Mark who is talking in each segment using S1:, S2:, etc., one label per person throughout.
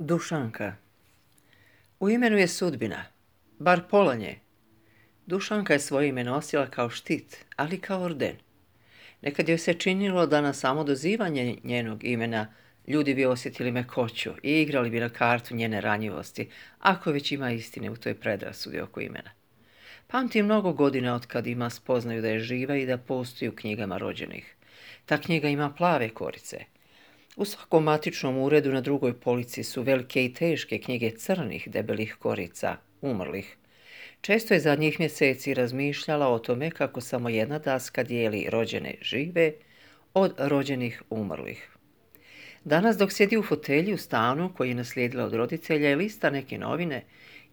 S1: Dušanka. U imenu je sudbina, bar pola nje. Dušanka je svoje ime nosila kao štit, ali kao orden. Nekad joj se činilo da na samo dozivanje njenog imena ljudi bi osjetili mekoću i igrali bi na kartu njene ranjivosti, ako već ima istine u toj predrasudi oko imena. Pamti mnogo godina od kad ima spoznaju da je živa i da postoji u knjigama rođenih. Ta knjiga ima plave korice. U svakom matičnom uredu na drugoj polici su velike i teške knjige crnih debelih korica, umrlih. Često je zadnjih mjeseci razmišljala o tome kako samo jedna daska dijeli rođene žive od rođenih umrlih. Danas dok sjedi u fotelji u stanu koji je naslijedila od roditelja i lista neke novine,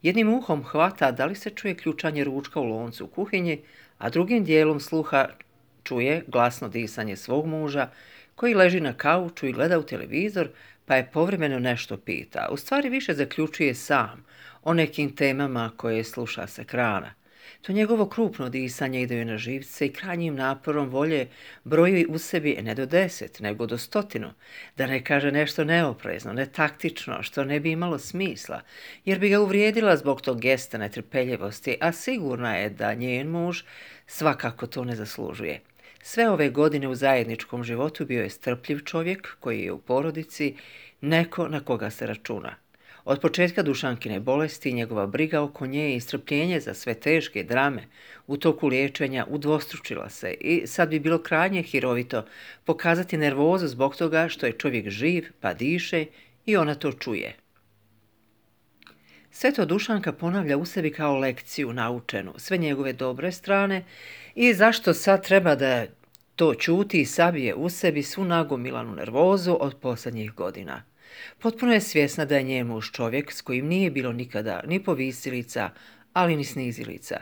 S1: jednim uhom hvata da li se čuje ključanje ručka u loncu u kuhinji, a drugim dijelom sluha čuje glasno disanje svog muža koji leži na kauču i gleda u televizor, pa je povremeno nešto pita. U stvari više zaključuje sam o nekim temama koje sluša s ekrana. To njegovo krupno disanje ide joj na živce i krajnjim naporom volje broji u sebi ne do 10, nego do 100, da ne kaže nešto neoprezno, netaktično, što ne bi imalo smisla, jer bi ga uvrijedila zbog tog gesta netrpeljivosti, a sigurna je da njen muž svakako to ne zaslužuje. Sve ove godine u zajedničkom životu bio je strpljiv čovjek koji je u porodici neko na koga se računa. Od početka Dušankine bolesti njegova briga oko nje i strpljenje za sve teške drame u toku liječenja udvostručila se i sad bi bilo krajnje hirovito pokazati nervozu zbog toga što je čovjek živ pa diše i ona to čuje. Sve to Dušanka ponavlja u sebi kao lekciju naučenu, sve njegove dobre strane i zašto sad treba da to ćuti i sabije u sebi svu nagomilanu nervozu od posljednjih godina. Potpuno je svjesna da je njen muž čovjek s kojim nije bilo nikada ni povisilica, ali ni snizilica.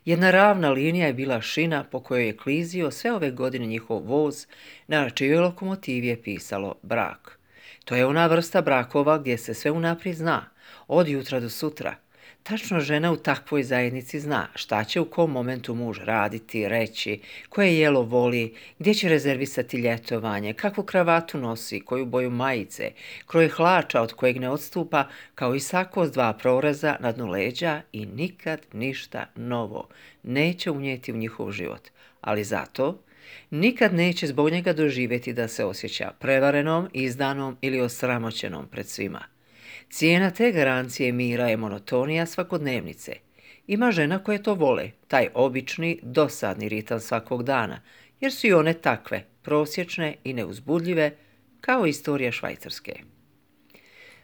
S1: Jedna ravna linija je bila šina po kojoj je klizio sve ove godine njihov voz, na čijoj lokomotivi je pisalo brak. To je ona vrsta brakova gdje se sve unaprijed zna, od jutra do sutra. Tačno žena u takvoj zajednici zna šta će u kom momentu muž raditi, reći, koje jelo voli, gdje će rezervisati ljetovanje, kakvu kravatu nosi, koju boju majice, kroj hlača od kojeg ne odstupa, kao i sako s 2 proreza na dnu leđa i nikad ništa novo neće unijeti u njihov život. Ali zato nikad neće zbog njega doživjeti da se osjeća prevarenom, izdanom ili osramoćenom pred svima. Cijena te garancije mira je monotonija svakodnevnice. Ima žena koje to vole, taj obični, dosadni ritam svakog dana, jer su i one takve, prosječne i neuzbudljive, kao istorija Švajcarske.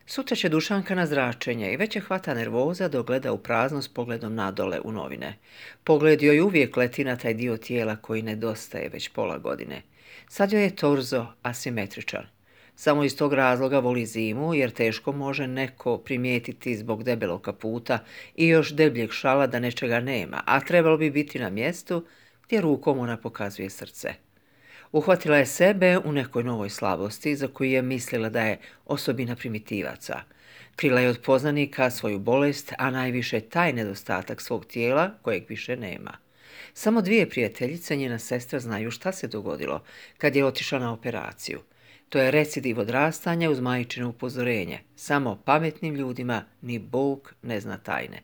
S1: Sutra će Dušanka na zračenje i već je hvata nervoza dok gleda u prazno s pogledom nadole u novine. Pogled joj uvijek leti na taj dio tijela koji nedostaje već pola godine. Sad joj je torzo asimetričan. Samo iz tog razloga voli zimu, jer teško može neko primijetiti zbog debelog kaputa i još debljeg šala da nečega nema, a trebalo bi biti na mjestu gdje rukom ona pokazuje srce. Uhvatila je sebe u nekoj novoj slabosti za koju je mislila da je osobina primitivaca. Krila je od poznanika svoju bolest, a najviše taj nedostatak svog tijela kojeg više nema. Samo 2 prijateljice, njena sestra, znaju šta se dogodilo kad je otišla na operaciju. To je recidiv odrastanja uz majčino upozorenje. Samo pametnim ljudima ni Bog ne zna tajne.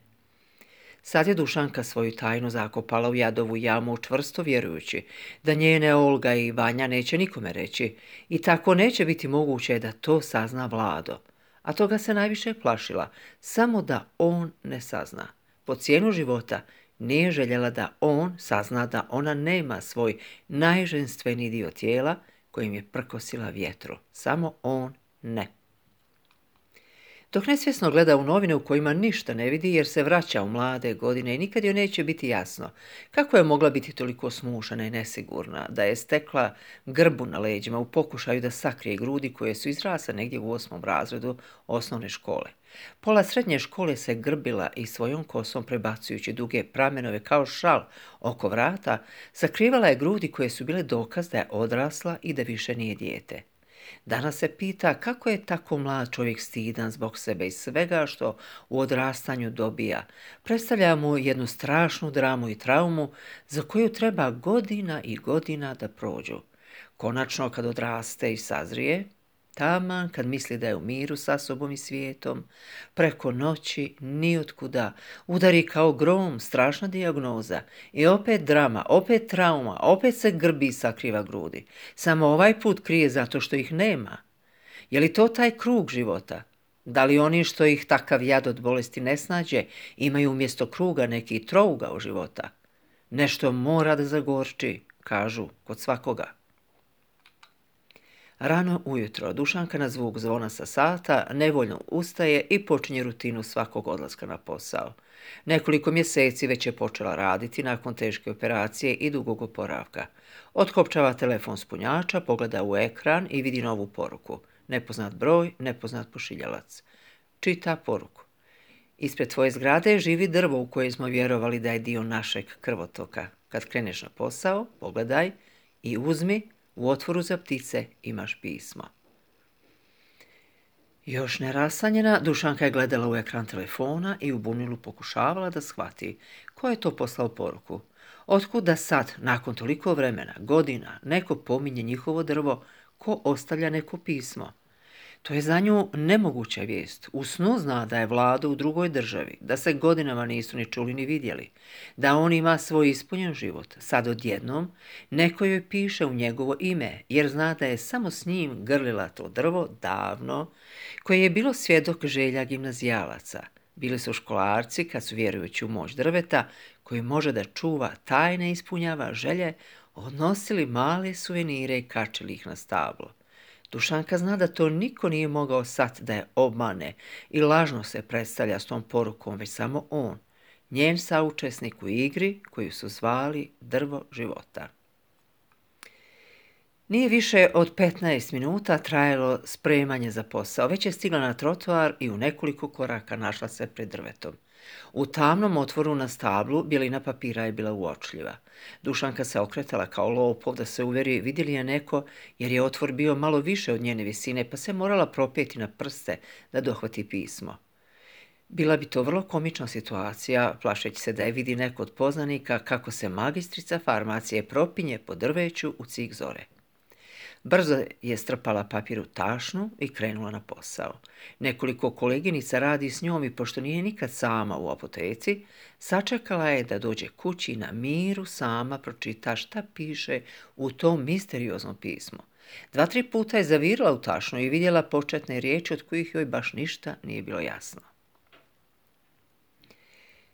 S1: Sad je Dušanka svoju tajnu zakopala u jadovu jamu čvrsto vjerujući da njene Olga i Vanja neće nikome reći i tako neće biti moguće da to sazna Vlado. A toga se najviše plašila, samo da on ne sazna. Po cijenu života nije željela da on sazna da ona nema svoj najženstveni dio tijela kojim je prkosila vjetru. Samo on ne. Dok nesvjesno gleda u novine u kojima ništa ne vidi jer se vraća u mlade godine i nikad joj neće biti jasno kako je mogla biti toliko smušana i nesigurna, da je stekla grbu na leđima u pokušaju da sakrije grudi koje su izrasle negdje u 8. razredu osnovne škole. Pola srednje škole se grbila i svojom kosom prebacujući duge pramenove kao šal oko vrata, sakrivala je grudi koje su bile dokaz da je odrasla i da više nije dijete. Danas se pita kako je tako mlad čovjek stidan zbog sebe i svega što u odrastanju dobija. Predstavlja mu jednu strašnu dramu i traumu za koju treba godina i godina da prođu. Konačno, kad odraste i sazrije, Taman kad misli da je u miru sa sobom i svijetom, preko noći, nijotkuda, udari kao grom, strašna dijagnoza. I opet drama, opet trauma, opet se grbi i sakriva grudi. Samo ovaj put krije zato što ih nema. Je li to taj krug života? Da li oni što ih takav jad od bolesti ne snađe, imaju umjesto kruga neki trougao života? Nešto mora da zagorči, kažu, kod svakoga. Rano ujutro Dušanka na zvuk zvona sa sata nevoljno ustaje i počinje rutinu svakog odlaska na posao. Nekoliko mjeseci već je počela raditi nakon teške operacije i dugog oporavka. Otkopčava telefon s punjača, pogleda u ekran i vidi novu poruku. Nepoznat broj, nepoznat pošiljalac. Čita poruku. Ispred tvoje zgrade živi drvo u koje smo vjerovali da je dio našeg krvotoka. Kad kreneš na posao, pogledaj i uzmi, u otvoru za ptice imaš pismo. Još nerasanjena, Dušanka je gledala u ekran telefona i u bunilu pokušavala da shvati ko je to poslao poruku. Otkud da sad, nakon toliko vremena, godina, neko pominje njihovo drvo, ko ostavlja neko pismo. To je za nju nemoguća vijest. U snu zna da je Vlado u drugoj državi, da se godinama nisu ni čuli ni vidjeli, da on ima svoj ispunjen život. Sad odjednom neko joj piše u njegovo ime, jer zna da je samo s njim grlila to drvo davno, koje je bilo svjedok želja gimnazijalaca. Bili su školarci kad su, vjerujući u moć drveta, koji može da čuva tajne i ispunjava želje, odnosili male suvenire i kačili ih na stablo. Dušanka zna da to niko nije mogao sad da je obmane i lažno se predstavlja s tom porukom, već samo on, njen saučesnik u igri koju su zvali drvo života. Nije više od 15 minuta trajalo spremanje za posao, već je stigla na trotoar i u nekoliko koraka našla se pred drvetom. U tamnom otvoru na stablu bjelina papira je bila uočljiva. Dušanka se okretala kao lopov da se uvjeri vidi li je neko, jer je otvor bio malo više od njene visine, pa se morala propeti na prste da dohvati pismo. Bila bi to vrlo komična situacija, plašeći se da je vidi neko od poznanika kako se magistrica farmacije propinje po drveću u cik zore. Brzo je strpala papir u tašnu i krenula na posao. Nekoliko koleginica radi s njom i pošto nije nikad sama u apoteci, sačekala je da dođe kući i na miru sama pročita šta piše u tom misterioznom pismu. 2-3 puta je zavirila u tašnu i vidjela početne riječi od kojih joj baš ništa nije bilo jasno.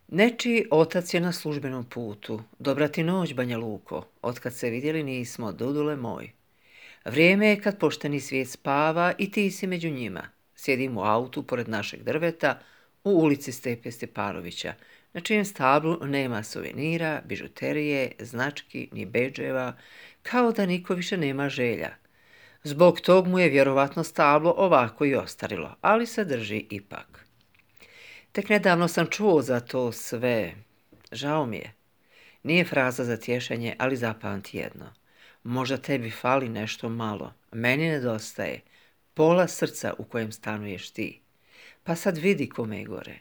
S1: Nečiji otac je na službenom putu. Dobra ti noć, Banja Luko. Otkad se vidjeli nismo, Dudule moj. Vrijeme je kad pošteni svijet spava i ti si među njima. Sjedim u autu pored našeg drveta u ulici Stepe Stepanovića, na čijem stablu nema suvenira, bižuterije, znački ni bedževa, kao da niko više nema želja. Zbog tog mu je vjerovatno stablo ovako i ostarilo, ali se drži ipak. Tek nedavno sam čuo za to sve. Žao mi je. Nije fraza za tješenje, ali zapamti jedno. Možda tebi fali nešto malo, meni nedostaje pola srca u kojem stanuješ ti. Pa sad vidi kome je gore.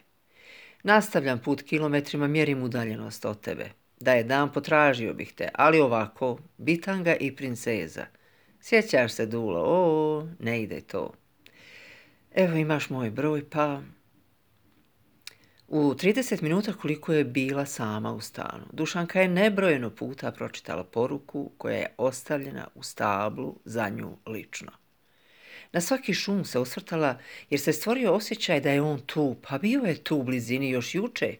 S1: Nastavljam put kilometrima, mjerim udaljenost od tebe. Da je dan potražio bih te, ali ovako, bitanga i princeza. Sjećaš se, Dulo, ne ide to. Evo imaš moj broj, pa... U 30 minuta koliko je bila sama u stanu, Dušanka je nebrojeno puta pročitala poruku koja je ostavljena u stablu za nju lično. Na svaki šum se osvrtala jer se stvorio osjećaj da je on tu, pa bio je tu u blizini još juče.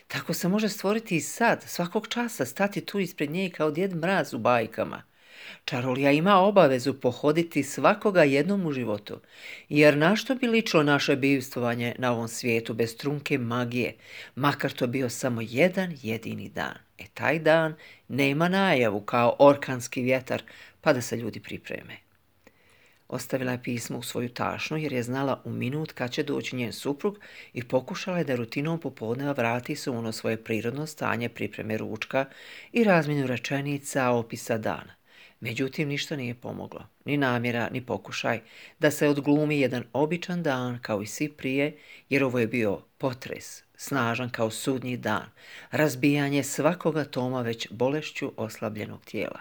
S1: Tako se može stvoriti i sad, svakog časa stati tu ispred nje kao Djed Mraz u bajkama. Čarolija ima obavezu pohoditi svakoga jednom u životu, jer na što bi ličilo naše bivstvovanje na ovom svijetu bez trunke magije, makar to bio samo jedan jedini dan. Taj dan nema najavu kao orkanski vjetar, pa da se ljudi pripreme. Ostavila je pismo u svoju tašnu jer je znala u minut kad će doći njen suprug i pokušala je da rutinom popodneva vrati se u ono svoje prirodno stanje pripreme ručka i razmjenu rečenica opisa dana. Međutim, ništa nije pomoglo, ni namjera, ni pokušaj da se odglumi jedan običan dan kao i svi prije, jer ovo je bio potres, snažan kao sudnji dan, razbijanje svakog atoma već bolešću oslabljenog tijela.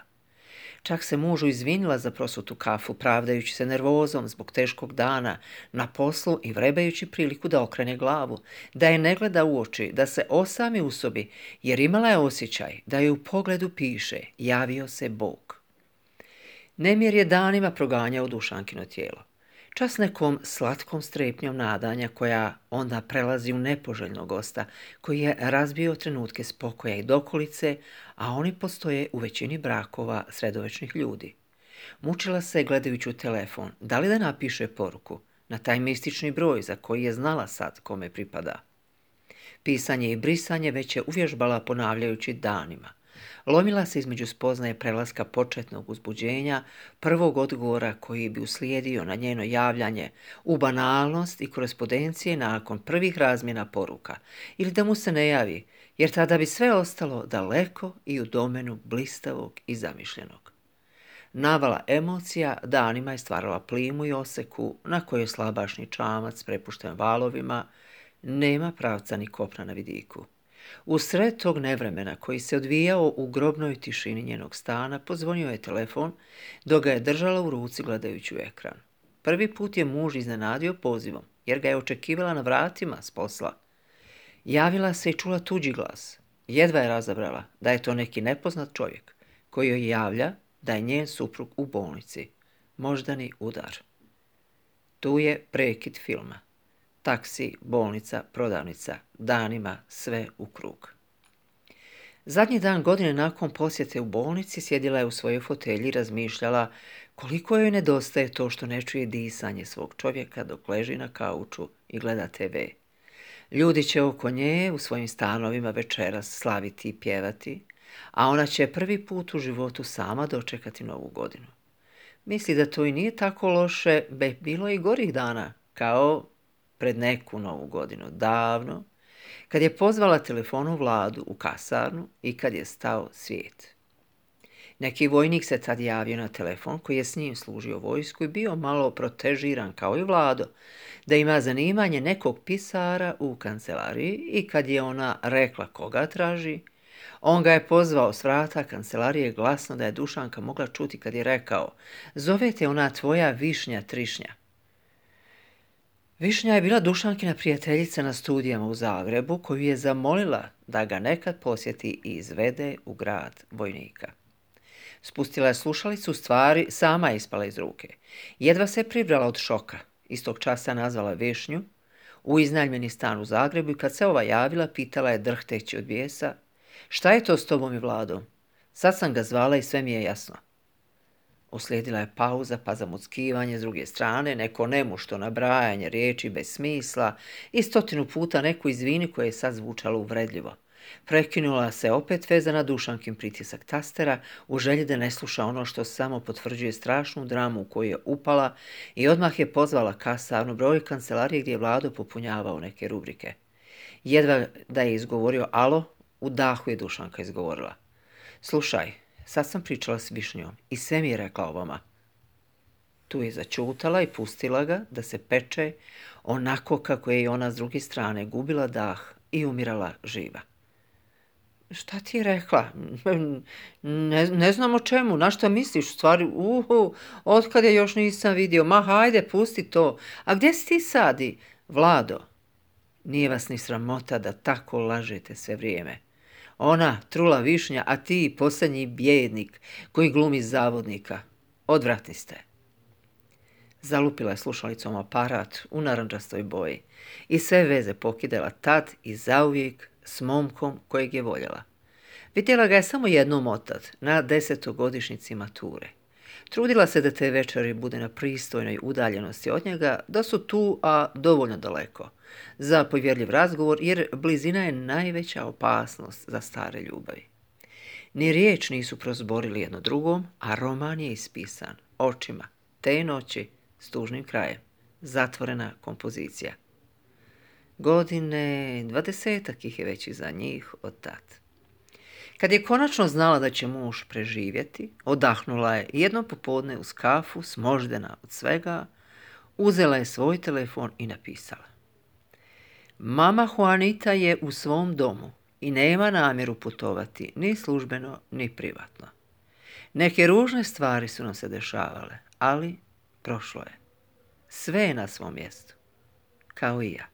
S1: Čak se mužu izvinila za prosutu kafu, pravdajući se nervozom zbog teškog dana na poslu i vrebajući priliku da okrene glavu, da je ne gleda u oči, da se osami u sobi, jer imala je osjećaj da joj u pogledu piše javio se Bog. Nemir je danima proganjao Dušankino tijelo. Čas nekom slatkom strepnjom nadanja koja onda prelazi u nepoželjnog gosta koji je razbio trenutke spokoja i dokolice, a oni postoje u većini brakova sredovečnih ljudi. Mučila se gledajući u telefon, da li da napiše poruku na taj mistični broj za koji je znala sad kome pripada. Pisanje i brisanje već je uvježbala ponavljajući danima. Lomila se između spoznaje prelaska početnog uzbuđenja, prvog odgovora koji bi uslijedio na njeno javljanje u banalnost i korespondencije nakon prvih razmjena poruka, ili da mu se ne javi, jer tada bi sve ostalo daleko i u domenu blistavog i zamišljenog. Navala emocija danima je stvarala plimu i oseku na kojoj slabašni čamac prepušten valovima nema pravca ni kopna na vidiku. U sred tog nevremena koji se odvijao u grobnoj tišini njenog stana, pozvonio je telefon, dok ga je držala u ruci gledajući u ekran. Prvi put je muž iznenadio pozivom, jer ga je očekivala na vratima s posla. Javila se i čula tuđi glas. Jedva je razabrala da je to neki nepoznat čovjek koji joj javlja da je njen suprug u bolnici. Moždani udar. Tu je prekid filma. Taksi, bolnica, prodavnica, danima sve u krug. Zadnji dan godine nakon posjete u bolnici sjedila je u svojoj fotelji i razmišljala koliko joj nedostaje to što ne čuje disanje svog čovjeka dok leži na kauču i gleda TV. Ljudi će oko nje u svojim stanovima večeras slaviti i pjevati, a ona će prvi put u životu sama dočekati novu godinu. Misli da to i nije tako loše, bilo i gorih dana, kao pred neku novu godinu, davno, kad je pozvala telefonu Vladu u kasarnu i kad je stao svijet. Neki vojnik se tad javio na telefon koji je s njim služio vojsku i bio malo protežiran kao i Vlado, da ima zanimanje nekog pisara u kancelariji i kad je ona rekla koga traži, on ga je pozvao s vrata kancelarije glasno da je Dušanka mogla čuti kad je rekao zove te ona tvoja Višnja Trišnja. Višnja je bila Dušankina prijateljica na studijama u Zagrebu koju je zamolila da ga nekad posjeti i izvede u grad vojnika. Spustila je slušalicu, stvari sama je ispala iz ruke. Jedva se pribrala od šoka. Istog časa nazvala Višnju u iznajmljeni stan u Zagrebu i kad se ova javila, pitala je drhteći od bijesa šta je to s tobom i Vladom? Sad sam ga zvala i sve mi je jasno. Uslijedila je pauza pa zamuckivanje s druge strane, neko nemušto nabrajanje riječi bez smisla i 100 puta neku izvini koje je sad zvučalo uvredljivo. Prekinula se opet vezana Dušankin pritisak tastera u želji da ne sluša ono što samo potvrđuje strašnu dramu u koju je upala i odmah je pozvala kasarnu broj kancelarije gdje je Vlado popunjavao neke rubrike. Jedva da je izgovorio alo, u dahu je Dušanka izgovorila. Slušaj, sad sam pričala s Višnjom i sve mi je rekla o vama. Tu je začutala i pustila ga da se peče onako kako je i ona s druge strane gubila dah i umirala živa. Šta ti je rekla? Ne znam o čemu, na šta misliš u stvari? Otkad je još nisam vidio, ma hajde, pusti to. A gdje si ti sadi? Vlado, nije vas ni sramota da tako lažete sve vrijeme. Ona, trula Višnja, a ti, posljednji bijednik koji glumi zavodnika. Odvratni ste. Zalupila je slušalicom aparat u narandžastoj boji i sve veze pokidala tad i zauvijek s momkom kojeg je voljela. Vidjela ga je samo jednom otad, na 10. mature. Trudila se da te večeri bude na pristojnoj udaljenosti od njega, da su tu, a dovoljno daleko, za povjerljiv razgovor, jer blizina je najveća opasnost za stare ljubavi. Ni riječ nisu prozborili jedno drugom, a roman je ispisan očima te noći s tužnim krajem. Zatvorena kompozicija. Godine 20 ih je već iza njih od tad. Kad je konačno znala da će muž preživjeti, odahnula je jedno popodne uz kafu, smoždena od svega, uzela je svoj telefon i napisala. Mama Juanita je u svom domu i nema namjeru putovati ni službeno ni privatno. Neke ružne stvari su nam se dešavale, ali prošlo je. Sve je na svom mjestu, kao i ja.